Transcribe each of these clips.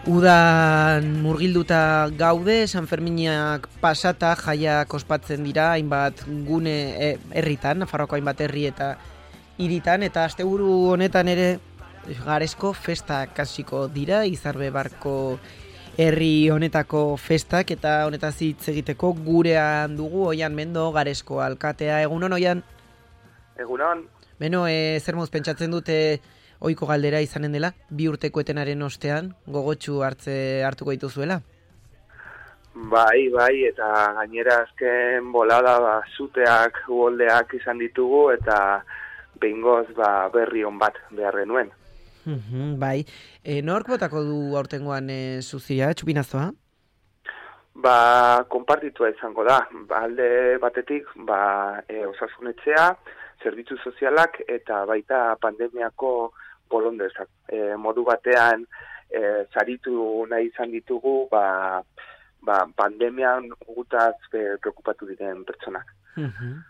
Udan murgilduta gaude, San Ferminak pasata jaiak ospatzen dira, hainbat gune herritan, Nafarroako hainbat herri eta hiritan, eta asteburu honetan ere Garesko festak hasiko dira, Izarbe barko herri honetako festak, eta honetaz hitz egiteko gurean dugu Oian Mendo, Garesko alkatea. Egunon, Oian? Egunon. Beno, zer moz pentsatzen dute ohiko galdera izanen dela, 2 urteko etenaren ostean, gogotsu hartuko dituzuela? Bai, eta gainera azken bolada zuteak, uholdeak izan ditugu, eta behingoz berri on bat behar genuen. Bai, nork botako du aurtengoan zuzia, txupinazoa? Konpartitua izango da. Alde batetik, osasunetxea, zerbitzu sozialak, eta baita pandemiako bolondezak. Modu batean, saritu nahi izan ditugu, pandemian gutaz preokupatu diren pertsonak.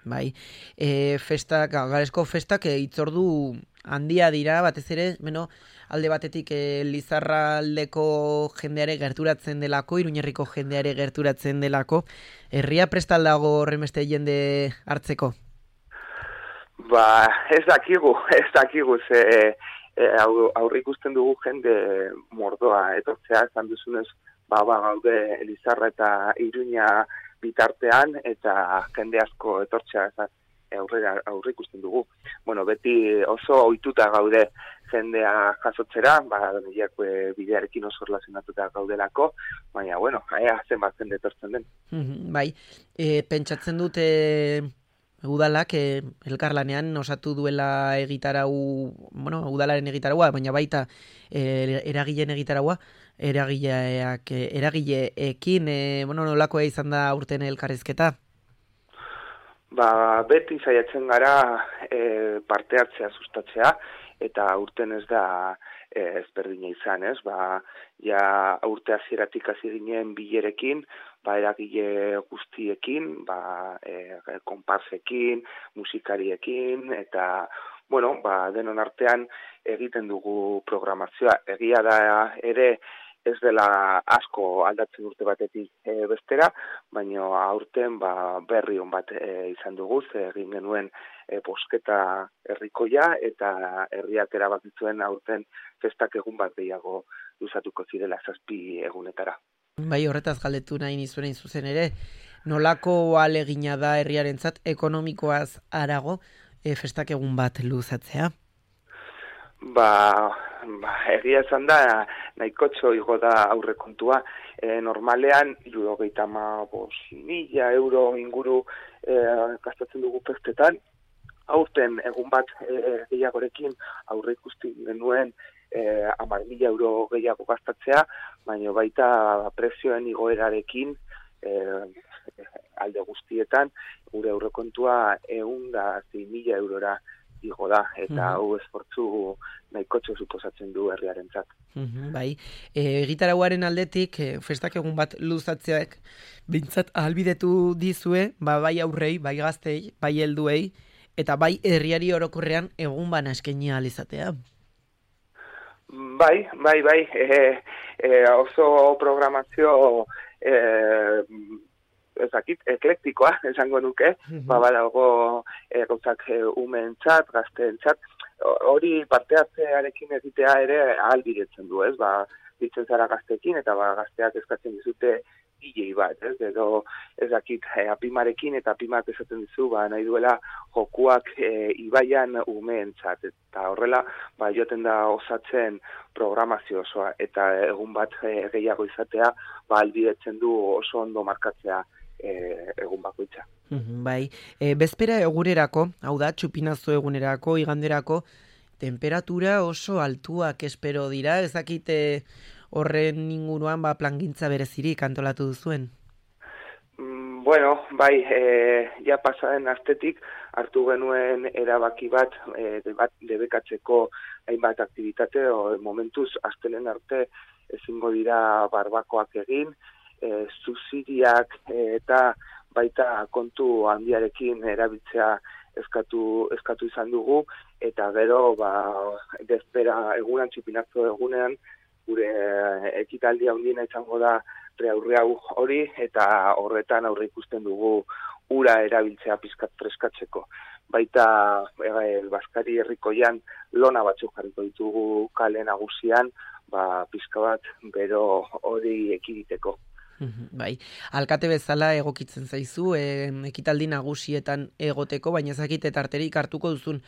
Bai, Garesko festak hitzordu handia dira, batez ere, alde batetik Lizarraldeko jendeare gerturatzen delako, Iruñerriko jendeare gerturatzen delako, herria prestal dago horrenbeste jende hartzeko? Ez dakigu, ze aurre ikusten dugu jende mordoa, etortzea, esan duzunez, gaude Lizarra eta Iruña bitartean, eta jende asko etortzea aurre ikusten dugu. Beti oso ohituta gaude jendea jasotzera, bidearekin oso relazionatuta gaudelako, baina, zenbat jende etortzen den. Bai, pentsatzen dute udalak elkarlanean osatu duela udalaren egitaraua, baina baita eragileen egitaraua, eragileekin, nolakoa izan da aurten elkarrizketa? Beti saiatzen gara parte hartzea sustatzea, eta aurten ez da ezberdina izan, ez? Urte hasieratik hasi ginen bilerekin, eragile guztiekin, konparsekin, musikariekin, eta, denon artean egiten dugu programazioa. Egia da ere ez dela asko aldatzen urte batetik bestera, baina aurten berri on bat izan dugu, egin genuen bosketa herrikoia, eta herriak erabakitzuen aurten festak egun bat gehiago luzatuko zirela 7 egunetara. Bai, horretaz galdetu nahi nizuen zuzen ere, nolako ahalegina da herriarentzat ekonomikoaz harago festak egun bat luzatzea? Egia esan da, nahikotxo igo da aurrekontua. Normalean, 75.000 euro inguru gastatzen dugu festetan. Aurten egun bat gehiagorekin aurre ikusten genuen 10.000 euro gehiago gastatzea, baina baita prezioen igoerarekin alde guztietan, gure aurrekontua 106.000 eurora igo da, eta hau esfortzu nahikotxo suposatzen du herriarentzat. Bai, egitarauaren aldetik, festak egun bat luzatzeak bintzat ahalbidetu dizue, bai aurrei, bai gaztei, bai helduei, eta bai herriari orokorrean egun bana eskaini ahal izatea. Bai, oso programazio eklektikoa, esango nuke, badago gauzak umeentzat, gazteentzat, hori parte hartzearekin egitea ere ahalbidetzen du, ez? Ditzen zara gazteekin, eta gazteak eskatzen dizute gilei bat, ez? Edo apimarekin, eta apimak esaten dizu, nahi duela jokuak ibaian umeentzat, eta horrela, joten da osatzen programazio osoa, eta egun bat gehiago izatea, ahalbidetzen du oso ondo markatzea egun bakoitza. Bai, bezpera egunerako, hau da, txupinazo egunerako, iganderako, temperatura oso altuak espero dira, ezakite horren inguruan plangintza berezirik antolatu duzuen? Ja pasaren astetik hartu genuen erabaki bat debekatzeko hainbat aktivitate, momentuz astelen arte ezingo dira barbakoak egin, zuziriak eta baita kontu handiarekin erabiltzea eskatu izan dugu, eta gero, bezpera egunan, txupinazo egunean, gure ekitaldi handiena izango da Riaurriau hori, eta horretan aurre ikusten dugu ura erabiltzea pizkat freskatzeko. Baita Baskari herrikoian lona batzuk jarriko ditugu kale nagusian, pizka bat bero hori ekiditeko. Bai, alkate bezala egokitzen zaizu, ekitaldi nagusietan egoteko, baina ezakite tarterik hartuko duzun,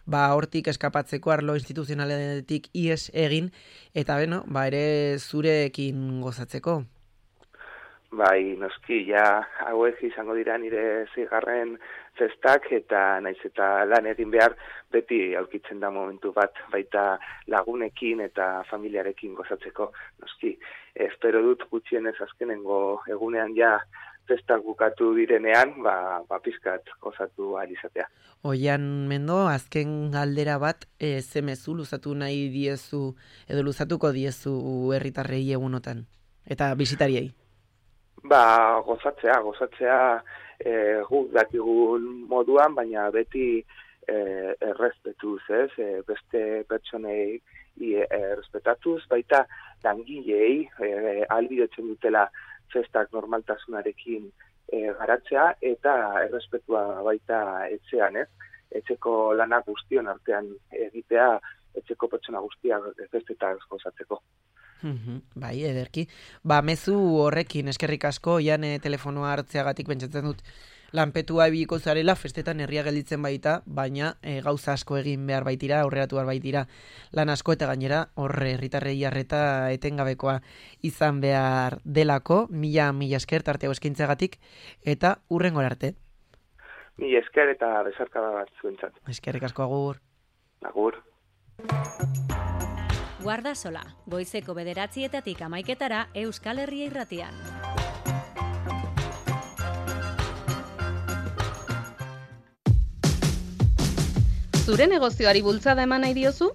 hortik eskapatzeko arlo instituzionaletik ies egin, eta ere zurekin gozatzeko. Bai, noski, hauek izango dira nire zigarren festak, eta naiz eta lan egin behar beti aurkitzen da momentu bat, baita lagunekin eta familiarekin gozatzeko. Noski, espero dut gutxienez azkenengo egunean festak bukatu direnean, pizkat gozatu ahal izatea. Oian Mendo, azken galdera bat, ze mezu luzatu nahi diezu, edo luzatuko diezu herritarrei egunotan, eta bisitariei? Gozatzea guk dakigun moduan, baina beti errespetuz, beste pertsonei errespetatuz, baita langilei ahalbidetzen dutela festak normaltasunarekin garatzea, eta errespetua baita etxean, etxeko lanak guztion artean egitea, etxeko pertsona guztiak festetaz gozatzeko. Bai, ederki. Mezu horrekin, eskerrik asko, telefonoa hartzeagatik pentsatzen dut lanpetua ibiliko zarela, festetan herria gelditzen baita, baina gauza asko egin behar baitira, aurreratu behar baitira lan asko, eta gainera herritarrei arreta etengabekoa izan behar delako. Mila esker tarteo eskaintzagatik, eta hurrengora arte. Mila esker eta besarkada bat zuentzat. Eskerrik asko, agur. Agur. Guardasola, goizeko 9:00 11:00 Euskal Herria Irratian. Zure negozioari bultzada eman nahi diozu?